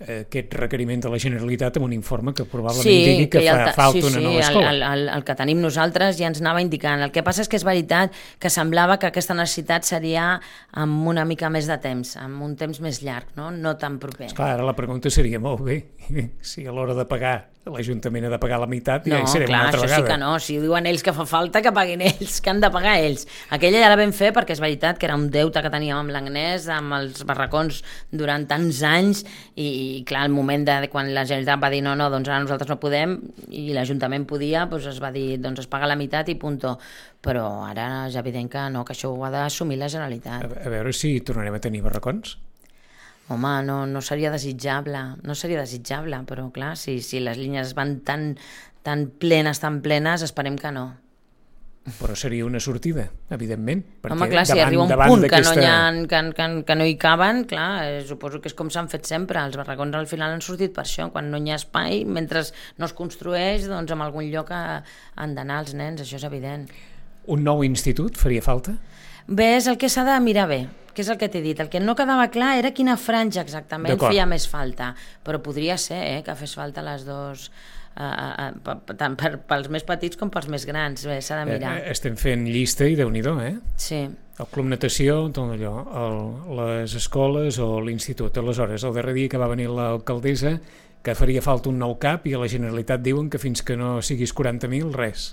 aquest requeriment de la Generalitat amb un informe que probablement sí, digui que, que fa ta... falta sí, una sí, nova escola. El, el, el que tenim nosaltres ja ens anava indicant. El que passa és que és veritat que semblava que aquesta necessitat seria amb una mica més de temps, amb un temps més llarg, no, no tan proper. Esclar, ara la pregunta seria molt bé, si a l'hora de pagar l'Ajuntament ha de pagar la meitat, no, ja hi serem clar, una altra vegada. No, clar, això sí que no. Si diuen ells que fa falta, que paguin ells, que han de pagar ells. Aquella ja la vam fer perquè és veritat que era un deute que teníem amb l'Agnès, amb els barracons durant tants anys i, i clar, el moment de quan la Generalitat va dir no, no, doncs ara nosaltres no podem i l'Ajuntament podia, doncs es va dir doncs es paga la meitat i punto. Però ara és evident que no, que això ho ha d'assumir la Generalitat. A, a veure si tornarem a tenir barracons. Home, no, no seria desitjable, no seria desitjable, però clar, si, si les línies van tan, tan plenes, tan plenes, esperem que no. Però seria una sortida, evidentment. Home, clar, si davant, arriba un punt que no, hi ha, que, que, que no hi caben, clar, eh, suposo que és com s'han fet sempre, els barracons al final han sortit per això, quan no hi ha espai, mentre no es construeix, doncs en algun lloc han d'anar els nens, això és evident. Un nou institut faria falta? Bé, és el que s'ha de mirar bé, que és el que t'he dit. El que no quedava clar era quina franja exactament feia més falta, però podria ser eh, que fes falta les dues, eh, eh, tant per, pels més petits com pels més grans. Bé, s'ha de mirar. Eh, estem fent llista i Déu-n'hi-do, eh? Sí. El Club Natació, tot allò, el, les escoles o l'institut. Aleshores, el darrer dia que va venir l'alcaldessa, que faria falta un nou cap i a la Generalitat diuen que fins que no siguis quaranta mil, res.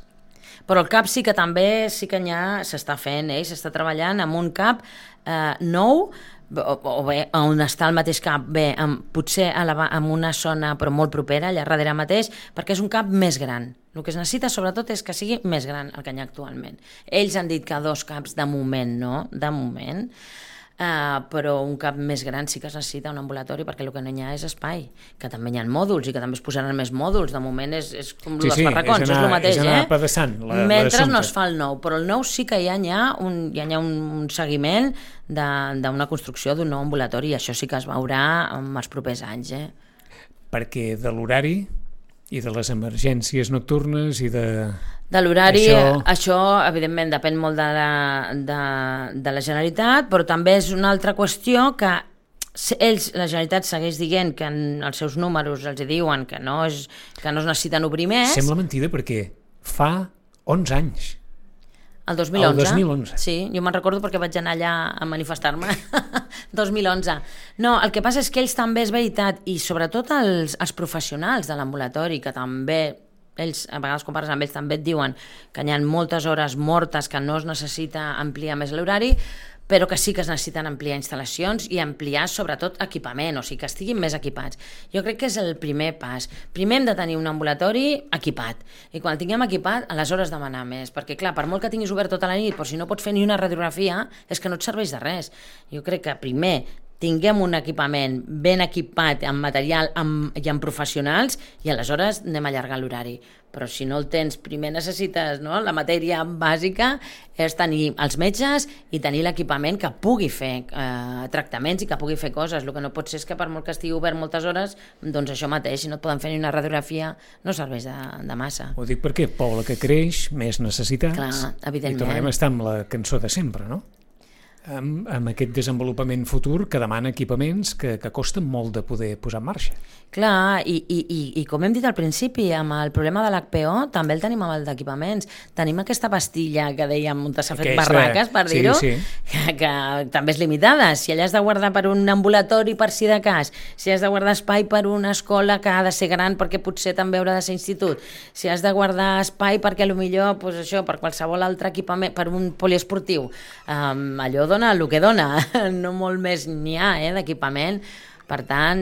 Però el CAP sí que també sí que ja s'està fent, eh? S'està treballant amb un CAP eh, nou, o, o bé, on està el mateix CAP, bé, amb, potser a la, en una zona però molt propera, allà darrere mateix, perquè és un CAP més gran. El que es necessita sobretot és que sigui més gran el que hi ha actualment. Ells han dit que dos CAPs de moment no, de moment, Uh, però un cap més gran sí que es necessita un ambulatori perquè el que no hi ha és espai, que també hi ha mòduls i que també es posaran més mòduls, de moment és, és com sí, els sí, barracons, és, anar, és el mateix, és eh? Mentre no es fa el nou, però el nou sí que hi ha, hi ha, un, hi ha un, un seguiment d'una construcció d'un nou ambulatori i això sí que es veurà en els propers anys. Eh? Perquè de l'horari i de les emergències nocturnes i de... De l'horari, això... això evidentment depèn molt de la, de, de la Generalitat, però també és una altra qüestió que ells, la Generalitat segueix dient que en els seus números els diuen que no, és, que no es necessiten obrir més. Sembla mentida perquè fa onze anys. El dos mil onze? El dos mil onze. Sí, jo me'n recordo perquè vaig anar allà a manifestar-me. dos mil onze. No, el que passa és que ells també és veritat, i sobretot els, els professionals de l'ambulatori, que també... ells, a vegades quan parles amb ells també et diuen que hi ha moltes hores mortes que no es necessita ampliar més l'horari, però que sí que es necessiten ampliar instal·lacions i ampliar sobretot equipament, o sigui que estiguin més equipats. Jo crec que és el primer pas. Primer hem de tenir un ambulatori equipat, i quan el tinguem equipat, aleshores demanar més, perquè clar, per molt que tinguis obert tota la nit, però si no pots fer ni una radiografia, és que no et serveix de res. Jo crec que primer tinguem un equipament ben equipat amb material amb, i amb professionals i aleshores anem a allargar l'horari. Però si no el tens, primer necessites, no? La matèria bàsica és tenir els metges i tenir l'equipament que pugui fer eh, tractaments i que pugui fer coses. El que no pot ser és que per molt que estigui obert moltes hores, doncs això mateix, si no et poden fer ni una radiografia, no serveix de, de massa. Ho dic perquè poble que creix, més necessitats. Clar, evidentment. I tornem a estar amb la cançó de sempre, no? Amb, amb aquest desenvolupament futur que demana equipaments que, que costen molt de poder posar en marxa. Clar, i, i, i, i com hem dit al principi, amb el problema de l'H P O també el tenim amb el d'equipaments. Tenim aquesta pastilla que dèiem on s'ha fet barraques, per dir-ho, sí, sí. que, que també és limitada. Si allà has de guardar per un ambulatori per si de cas, si has de guardar espai per una escola que ha de ser gran perquè potser també haurà de ser institut, si has de guardar espai perquè potser pues això, per qualsevol altre equipament, per un poliesportiu, um, allò dona el que dona, no molt més n'hi ha eh, d'equipament. Per tant,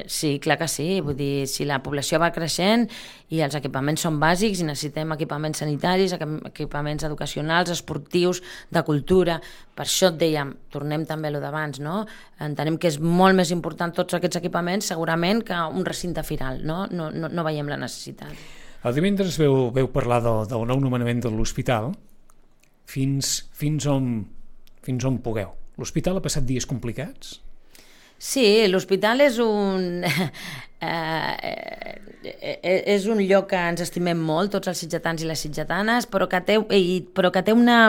sí, clar que sí, vull dir, si la població va creixent i els equipaments són bàsics i necessitem equipaments sanitaris, equipaments educacionals, esportius, de cultura, per això et dèiem, tornem també a lo d'abans, no? Entenem que és molt més important tots aquests equipaments segurament que un recinte firal, no? No, no, no veiem la necessitat. El divendres veu, veu parlar del, del nou nomenament de l'hospital fins, fins on... fins on pugueu. L'hospital ha passat dies complicats? Sí, l'hospital és un... Eh, és un lloc que ens estimem molt, tots els sitgetans i les sitgetanes, però que té, però que té una...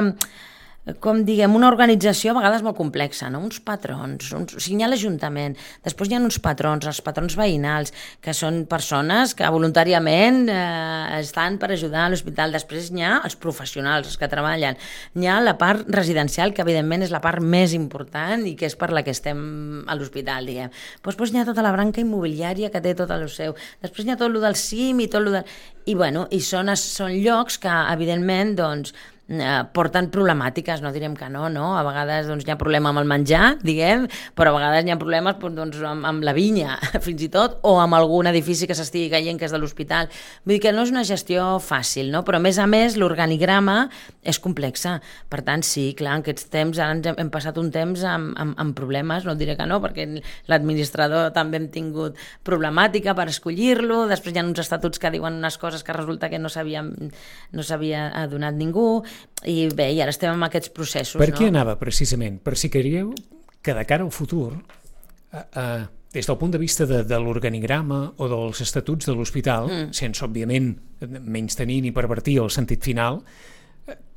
com diguem, una organització a vegades molt complexa, no? Uns patrons, uns, o sigui, hi ha l'Ajuntament, després hi ha uns patrons, els patrons veïnals, que són persones que voluntàriament eh, estan per ajudar a l'hospital, després hi ha els professionals, els que treballen, hi ha la part residencial, que evidentment és la part més important i que és per la que estem a l'hospital, diguem. Però després hi ha tota la branca immobiliària que té tot el seu, després hi ha tot el del C I M i tot el del... I, bueno, i són, són llocs que, evidentment, doncs, Eh, porten problemàtiques, no direm que no, no? A vegades doncs, hi ha problema amb el menjar, diguem, però a vegades hi ha problemes doncs, amb, amb la vinya, fins i tot, o amb algun edifici que s'estigui caient que és de l'hospital. Vull dir que no és una gestió fàcil, no? Però a més a més l'organigrama és complexa. Per tant, sí, clar, en aquests temps, ara ens hem, hem passat un temps amb, amb, amb problemes, no diré que no, perquè l'administrador també hem tingut problemàtica per escollir-lo, després hi ha uns estatuts que diuen unes coses que resulta que no s'havia no s'havia adonat ningú, i bé, i ara estem en aquests processos. Per què no? anava precisament? Per si creieu que de cara al futur, eh, eh, des del punt de vista de, de l'organigrama o dels estatuts de l'hospital, mm. sense, òbviament, menys tenir ni pervertir el sentit final,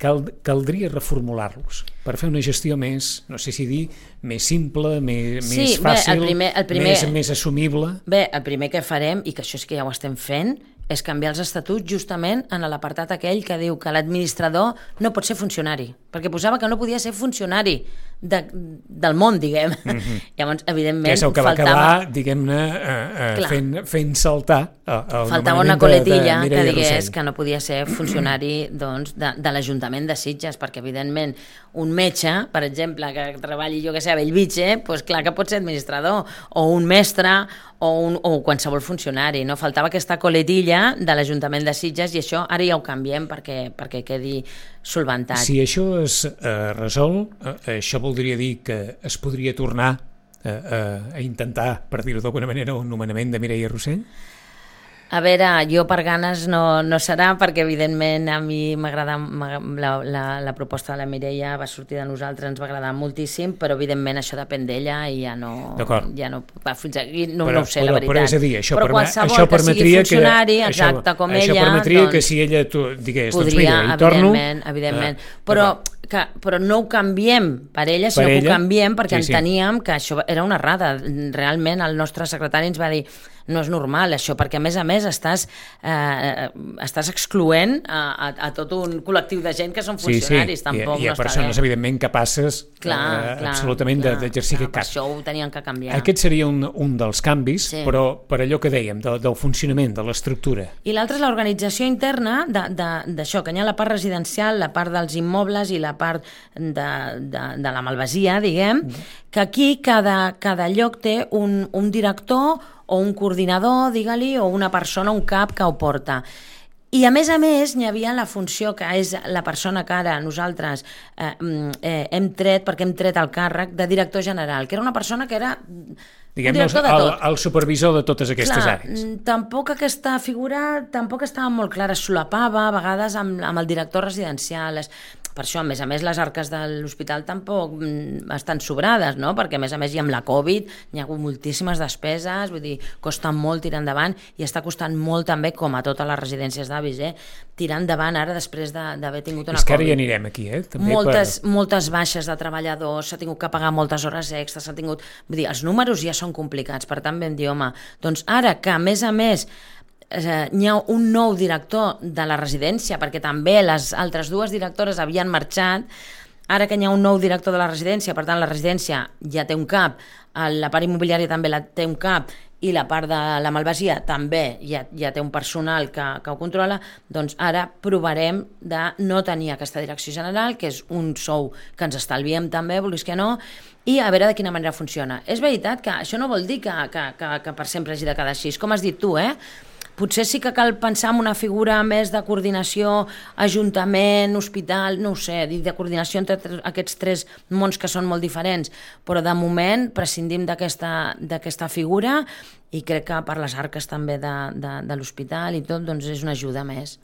cal, caldria reformular-los per fer una gestió més, no sé si dir, més simple, més, sí, més fàcil, bé, el primer, el primer, més, més assumible. Bé, el primer que farem, i que això sí que ja ho estem fent, és canviar els estatuts justament en l'apartat aquell que diu que l'administrador no pot ser funcionari, perquè posava que no podia ser funcionari de, del món, diguem. Mm-hmm. Llavors, evidentment, que és el que va faltava... acabar, diguem-ne, eh, eh, fent, fent saltar el faltava una coletilla de, de que digués Rossell. que no podia ser funcionari doncs, de, de l'Ajuntament de Sitges, perquè evidentment un metge, per exemple, que treballi, jo que sé, a Bellvitge, doncs clar que pot ser administrador, o un mestre, o, un, o qualsevol funcionari, no? Faltava aquesta coletilla de l'Ajuntament de Sitges i això ara ja ho canviem perquè, perquè quedi solventat. Si això es eh, resol, eh, això voldria dir que es podria tornar eh, eh, a intentar, per dir-ho d'alguna manera, un nomenament de Mireia Rossell? A veure, jo per ganes no, no serà, perquè evidentment a mi m'agrada la, la, la proposta de la Mireia va sortir de nosaltres, ens va agradar moltíssim, però evidentment això depèn d'ella i ja no, ja no va fins aquí, no, però, no ho sé, però, la veritat. Però és a dir, això, però perma, això que sigui funcionari, que, exacte, això, com això ella, permetria doncs, que si ella tu, digués, podria, doncs mira, hi torno... Evidentment, evidentment. Eh, però, que, però no ho canviem per ella, sinó que ho canviem perquè sí, sí. enteníem que això era una errada. Realment el nostre secretari ens va dir no és normal això, perquè a més a més estàs, eh, estàs excloent a, a, a tot un col·lectiu de gent que són funcionaris, sí, sí. tampoc I, i no a persones, bé. evidentment, capaces clar, eh, clar, absolutament clar, d'exercir clar, aquest càrrec. això ho tenien que canviar. Aquest seria un, un dels canvis, sí. però per allò que dèiem, de, del funcionament, de l'estructura. I l'altre és l'organització interna d'això, que hi ha la part residencial, la part dels immobles i la part de, de, de la malvasia, diguem, mm. que aquí cada, cada lloc té un, un director o un coordinador, digue-li, o una persona, un cap que ho porta. I a més a més n'hi havia la funció que és la persona que ara nosaltres eh, eh, hem tret, perquè hem tret el càrrec de director general, que era una persona que era... Diguem-ne, el, el supervisor de totes aquestes Clar, àrees. Tampoc aquesta figura tampoc estava molt clara, es solapava a vegades amb, amb el director residencial. Per això, a més a més, les arques de l'hospital tampoc estan sobrades, no? Perquè a més a més i amb la Covid hi ha hagut moltíssimes despeses, vull dir, costa molt tirar endavant i està costant molt també, com a totes les residències d'avis, eh? tirar endavant ara després d'haver tingut una Covid. És que ara hi anirem aquí, eh? També moltes, per... moltes baixes de treballadors, s'ha tingut que pagar moltes hores extres, s'ha tingut... Vull dir, els números ja són complicats, per tant vam dir, home, doncs ara que a més a més eh, hi ha un nou director de la residència, perquè també les altres dues directores havien marxat, ara que hi ha un nou director de la residència, per tant la residència ja té un cap, la part immobiliària també la té un cap, i la part de la malvasia també ja, ja té un personal que, que ho controla, doncs ara provarem de no tenir aquesta direcció general, que és un sou que ens estalviem també, vulguis que no, i a veure de quina manera funciona. És veritat que això no vol dir que, que, que, que per sempre hagi de quedar així, com has dit tu, eh? Potser sí que cal pensar en una figura més de coordinació, ajuntament, hospital, no ho sé, de coordinació entre aquests tres mons que són molt diferents, però de moment prescindim d'aquesta figura i crec que per les arques també de, de, de l'hospital i tot, doncs és una ajuda més.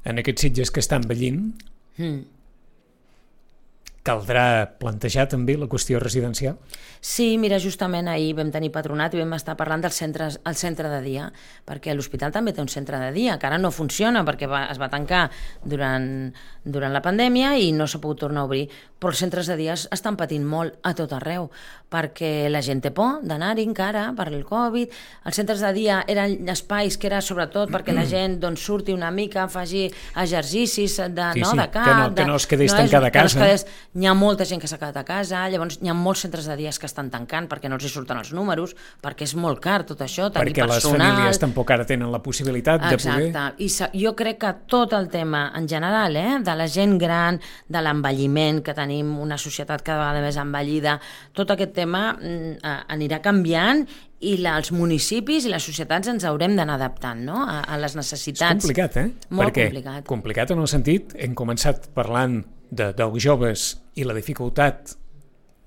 En aquests Sitges que estan envellint, mm. caldrà plantejar també la qüestió residencial? Sí, mira, justament ahir vam tenir patronat i vam estar parlant del centre, el centre de dia, perquè l'hospital també té un centre de dia, que ara no funciona perquè va, es va tancar durant, durant la pandèmia i no s'ha pogut tornar a obrir, però els centres de dia estan patint molt a tot arreu, perquè la gent té por d'anar-hi encara per el Covid. Els centres de dia eren espais que era sobretot perquè la gent doncs, surti una mica, faci exercicis de, sí, no, sí, de cap, que no, que no es quedés no tancada a casa. No quedés, hi ha molta gent que s'ha quedat a casa, llavors hi ha molts centres de dies que estan tancant perquè no els hi surten els números, perquè és molt car tot això, tenir perquè personal... Perquè les famílies tampoc ara tenen la possibilitat de Exacte. poder... Exacte, i jo crec que tot el tema en general, eh, de la gent gran, de l'envelliment, que tenim una societat cada vegada més envellida, tot aquest tema mm, anirà canviant i la, els municipis i les societats ens haurem d'anar adaptant, no? a, a les necessitats. És complicat, eh? Molt perquè complicat. Complicat en el sentit, hem començat parlant de, dels joves i la dificultat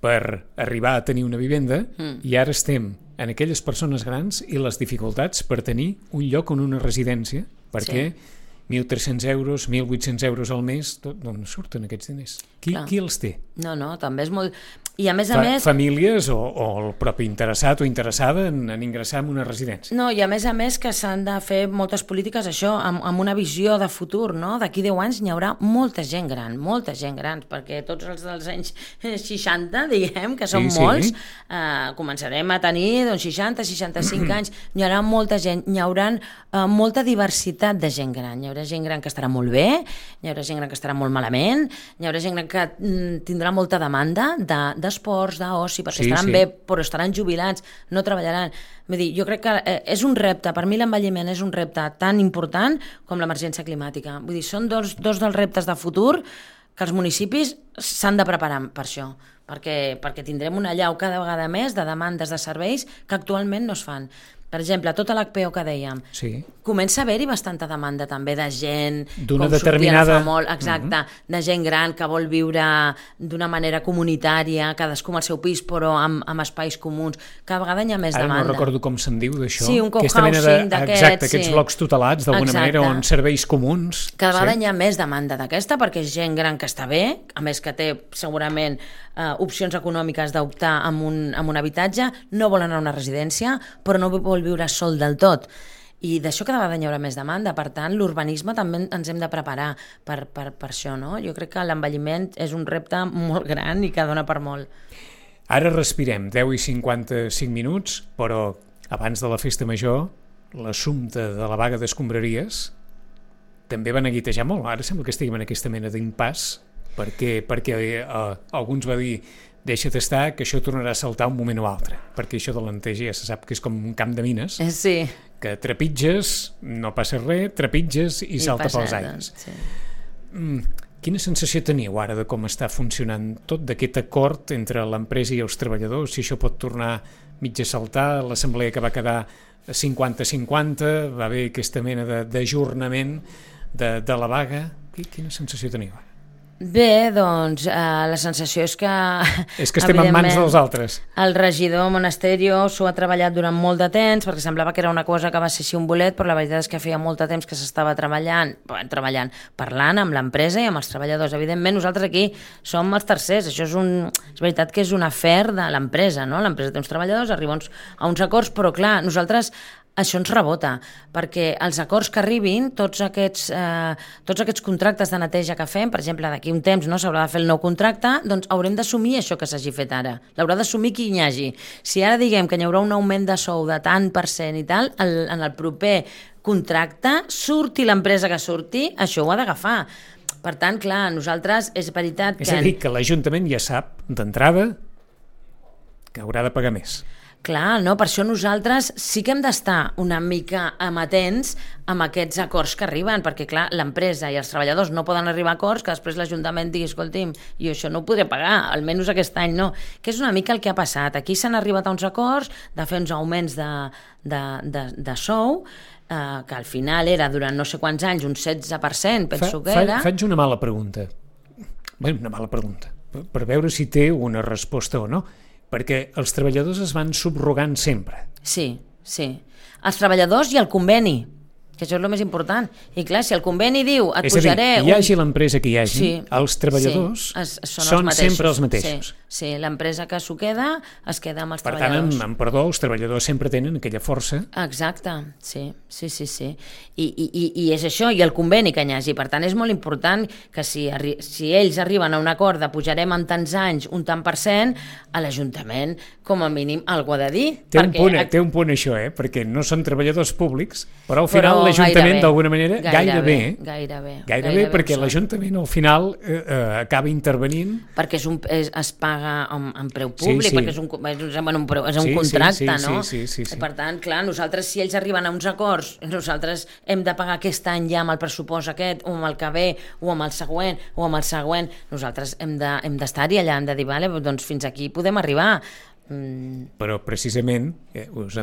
per arribar a tenir una vivenda mm. i ara estem en aquelles persones grans i les dificultats per tenir un lloc en una residència, perquè sí. mil tres-cents euros, mil vuit-cents euros al mes, d'on surten aquests diners? Qui, qui els té? No, no, també és molt... I a més a Fa, més... Famílies o, o el propi interessat o interessada en, en ingressar en una residència. No, i a més a més que s'han de fer moltes polítiques, això, amb, amb una visió de futur, no? D'aquí deu anys n'hi haurà molta gent gran, molta gent gran, perquè tots els dels anys seixanta, diguem, que són sí, molts, sí. Eh, començarem a tenir doncs, seixanta, seixanta-cinc anys, n'hi haurà molta gent, n'hi haurà eh, molta diversitat de gent gran, hi haurà gent gran que estarà molt bé, hi haurà gent gran que estarà molt malament, hi haurà gent gran que mm, tindrà molta demanda de, d'esports, d'oci, perquè sí, estaran sí. bé, però estaran jubilats, no treballaran. Vull dir, jo crec que eh, és un repte, per mi l'envelliment és un repte tan important com l'emergència climàtica. Vull dir, són dos, dos dels reptes de futur que els municipis s'han de preparar per això, perquè, perquè tindrem una allau cada vegada més de demandes de serveis que actualment no es fan. Per exemple, tota l'H P O que dèiem, sí. comença a haver-hi bastanta demanda també de gent, d'una determinada... molt, exacte, uh-huh. de gent gran que vol viure d'una manera comunitària, cadascú amb el seu pis, però amb, amb espais comuns. Cada vegada hi ha més Ara demanda. Ara no recordo com se'n diu d'això. Sí, un cohousing d'aquests. Exacte, aquests sí. blocs tutelats, d'alguna exacte. manera, on serveis comuns. Cada vegada sí. hi ha més demanda d'aquesta, perquè és gent gran que està bé, a més que té segurament eh, opcions econòmiques d'optar amb un, amb un habitatge, no vol anar a una residència, però no vol viure sol del tot. I d'això cada vegada hi haurà més demanda. Per tant, l'urbanisme també ens hem de preparar per, per, per això, no? Jo crec que l'envelliment és un repte molt gran i que dona per molt. Ara respirem, deu i cinquanta-cinc minuts, però abans de la festa major, l'assumpte de la vaga d'escombraries també va neguitejar molt. Ara sembla que estiguem en aquesta mena d'impàs, perquè, perquè eh, alguns va dir deixa't estar, que això tornarà a saltar un moment o altre, perquè això de la neteja ja se sap que és com un camp de mines, sí. que trepitges, no passa res, trepitges i, I salta pels aires. Doncs, sí. Mm, quina sensació teniu ara de com està funcionant tot d'aquest acord entre l'empresa i els treballadors? Si això pot tornar mig a saltar, l'assemblea que va quedar cinquanta cinquanta, va haver aquesta mena d'ajornament de, de la vaga. Quina sensació teniu ara? Bé, doncs eh, la sensació és que... És que estem en mans dels altres. El regidor Monasterio s'ho ha treballat durant molt de temps, perquè semblava que era una cosa que va ser així un bolet, però la veritat és que feia molt de temps que s'estava treballant, treballant, parlant amb l'empresa i amb els treballadors. Evidentment, nosaltres aquí som els tercers. Això és, un, és veritat que és un afer de l'empresa, no? L'empresa té uns treballadors, arriba uns, a uns acords, però clar, nosaltres... Això ens rebota, perquè els acords que arribin, tots aquests, eh, tots aquests contractes de neteja que fem, per exemple, d'aquí un temps no s'haurà de fer el nou contracte, doncs haurem d'assumir això que s'hagi fet ara. L'haurà d'assumir qui hi hagi. Si ara diguem que hi haurà un augment de sou de tant per cent i tal, el, en el proper contracte, surti l'empresa que surti, això ho ha d'agafar. Per tant, clar, nosaltres és veritat que... És a dir, que l'Ajuntament ja sap d'entrada que haurà de pagar més. Clar, no? Per això nosaltres sí que hem d'estar una mica amatents amb aquests acords que arriben, perquè clar, l'empresa i els treballadors no poden arribar a acords que després l'Ajuntament digui, escolti'm, jo això no ho podré pagar, almenys aquest any no, que és una mica el que ha passat. Aquí s'han arribat a uns acords de fer uns augments de, de, de, de sou, eh, que al final era durant no sé quants anys, un setze per cent, penso fa, que era... Fa, faig una mala pregunta, bé, una mala pregunta, per, per veure si té una resposta o no, perquè els treballadors es van subrogant sempre. Sí, sí. Els treballadors i el conveni, que això és el més important. I clar, si el conveni diu, et és pujaré... És a dir, hi hagi un... l'empresa que hi hagi, sí, els treballadors sí, es, són, són els sempre els mateixos. Sí, sí, l'empresa que s'ho queda es queda amb els per treballadors. Per tant, amb, amb perdó, els treballadors sempre tenen aquella força. Exacte, sí, sí, sí. sí. I, i, I és això, i el conveni que hi hagi. Per tant, és molt important que si, arri si ells arriben a un acord de pujarem en tants anys un tant per cent, a l'Ajuntament, com a mínim, algú ha de dir. Té, perquè... un punt, té un punt això, eh? Perquè no són treballadors públics, però al final l'Ajuntament, d'alguna manera, gairebé, gairebé, gairebé, gairebé perquè l'Ajuntament al final eh, eh, acaba intervenint. Perquè és un, és, es paga en, en preu públic, sí, sí. perquè és un, és, bueno, un, preu, és un sí, contracte, sí, sí, no? Sí, sí, sí, sí. Per tant, clar, nosaltres, si ells arriben a uns acords, nosaltres hem de pagar aquest any ja amb el pressupost aquest, o amb el que ve, o amb el següent, o amb el següent, nosaltres hem d'estar-hi de, allà, hem de dir, vale, doncs fins aquí podem arribar. Mm. Però precisament eh, us,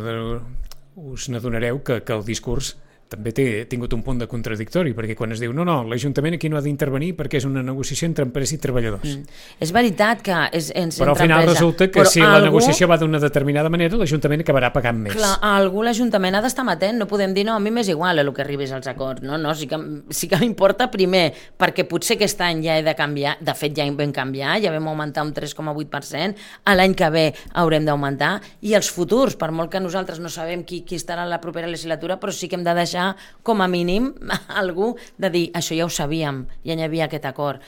us n'adonareu que, que el discurs també té tingut un punt de contradictori, perquè quan es diu no, no, l'Ajuntament aquí no ha d'intervenir perquè és una negociació entre empresa i treballadors. Mm. És veritat que és, és però al final empresa. Resulta que però si algú... la negociació va d'una determinada manera, l'Ajuntament acabarà pagant més. Clar, a algú l'Ajuntament ha d'estar amatent, no podem dir no, a mi m'és igual a el que arribis als acords, no, no, sí que, sí que m'importa primer, perquè potser aquest any ja he de canviar, de fet ja vam canviar, ja vam augmentar un tres coma vuit per cent, a l'any que ve haurem d'augmentar, i els futurs, per molt que nosaltres no sabem qui, qui estarà a la propera legislatura, però sí que hem de deixar com a mínim algú de dir, això ja ho sabíem, ja hi havia aquest acord.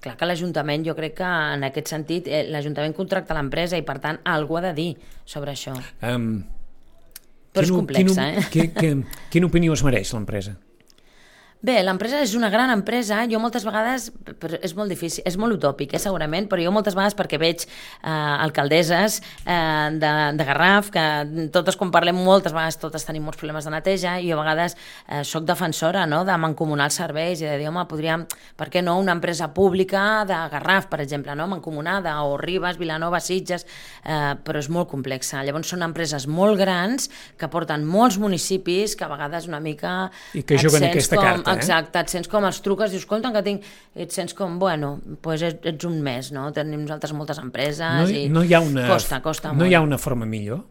Clar que l'Ajuntament, jo crec que en aquest sentit, eh, l'Ajuntament contracta l'empresa i per tant algú ha de dir sobre això. Um, Però és complex, eh? Quin, quin, quina opinió es mereix l'empresa? Bé, l'empresa és una gran empresa, jo moltes vegades, però és molt difícil, és molt utòpic, eh, segurament, però jo moltes vegades perquè veig eh, alcaldesses eh, de, de Garraf, que totes quan parlem moltes vegades totes tenim molts problemes de neteja, i jo a vegades eh, soc defensora, no?, de mancomunar els serveis i de dir, home, podríem, per què no, una empresa pública de Garraf, per exemple, no?, mancomunada, o Ribes, Vilanova, Sitges, eh, però és molt complexa. Llavors són empreses molt grans que porten molts municipis que a vegades una mica... I que juguen aquesta com, carta. Exacte, et sents com els truques, dius, escolta, que tinc... Et sents com, bueno, doncs ets, ets un mes, no? Tenim nosaltres moltes empreses no, i no hi ha una, costa, costa no molt. No hi ha una forma millor?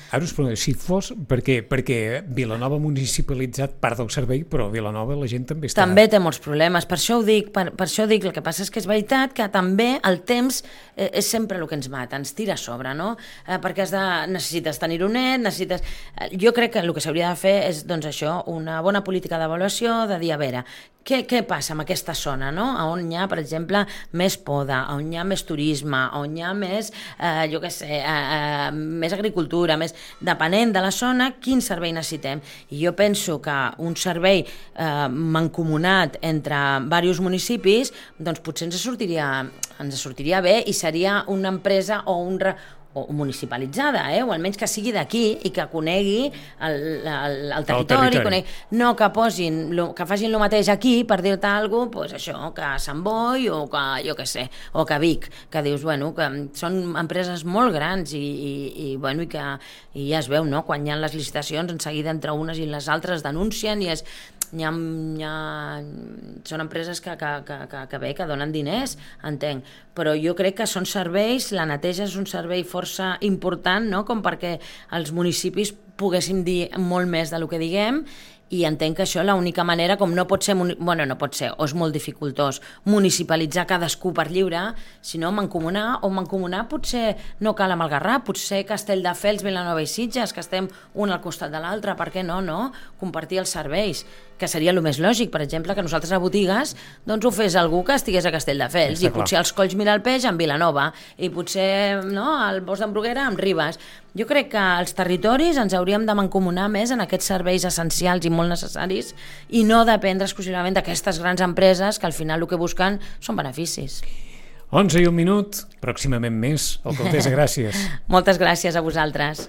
Ara us pregunto, si fos... Perquè, perquè Vilanova ha municipalitzat part del servei, però a Vilanova la gent també està... També té molts problemes, per això ho dic, per, per això ho dic, el que passa és que és veritat que també el temps eh, és sempre el que ens mata, ens tira a sobre, no? Eh, perquè has de, necessites tenir-ho net, necessites... Eh, jo crec que el que s'hauria de fer és, doncs això, una bona política d'avaluació, de dir, a veure, què, què passa amb aquesta zona, no? On hi ha, per exemple, més poda, on hi ha més turisme, on hi ha més, eh, jo què sé, eh, eh, més agricultura, més... depenent de la zona, quin servei necessitem. I jo penso que un servei eh, mancomunat entre diversos municipis, doncs potser ens sortiria, ens sortiria bé i seria una empresa o un, o municipalitzada, eh? O almenys que sigui d'aquí i que conegui el, el, el territori, el territori. Conegui, no que posin, lo, que facin el mateix aquí per dir-te alguna cosa, pues això, que a Sant Boi o que, jo què sé, o que a Vic, que dius, bueno, que són empreses molt grans i, i, i, bueno, i que i ja es veu, no?, quan hi ha les licitacions, en seguida entre unes i les altres denuncien i és Hi ha, hi ha, són empreses que, que, que, que, que bé, que donen diners, entenc, però jo crec que són serveis, la neteja és un servei força important, no?, com perquè els municipis poguéssim dir molt més del que diguem, i entenc que això l'única manera, com no pot ser, bueno, no pot ser, o és molt dificultós municipalitzar cadascú per lliure, sinó mancomunar, o mancomunar potser no cal amb el Garraf, potser Castelldefels, Vilanova i Sitges, que estem un al costat de l'altre, per què no, no? Compartir els serveis, que seria el més lògic, per exemple, que nosaltres a botigues doncs ho fes algú que estigués a Castelldefels, i potser els Colls Miralpeix amb Vilanova, i potser no, el Bosc d'en Bruguera amb Ribes. Jo crec que els territoris ens hauríem de mancomunar més en aquests serveis essencials i molt necessaris i no dependre exclusivament d'aquestes grans empreses que al final el que busquen són beneficis. onze i un minut, pròximament més. Alcaldessa, gràcies. Moltes gràcies a vosaltres.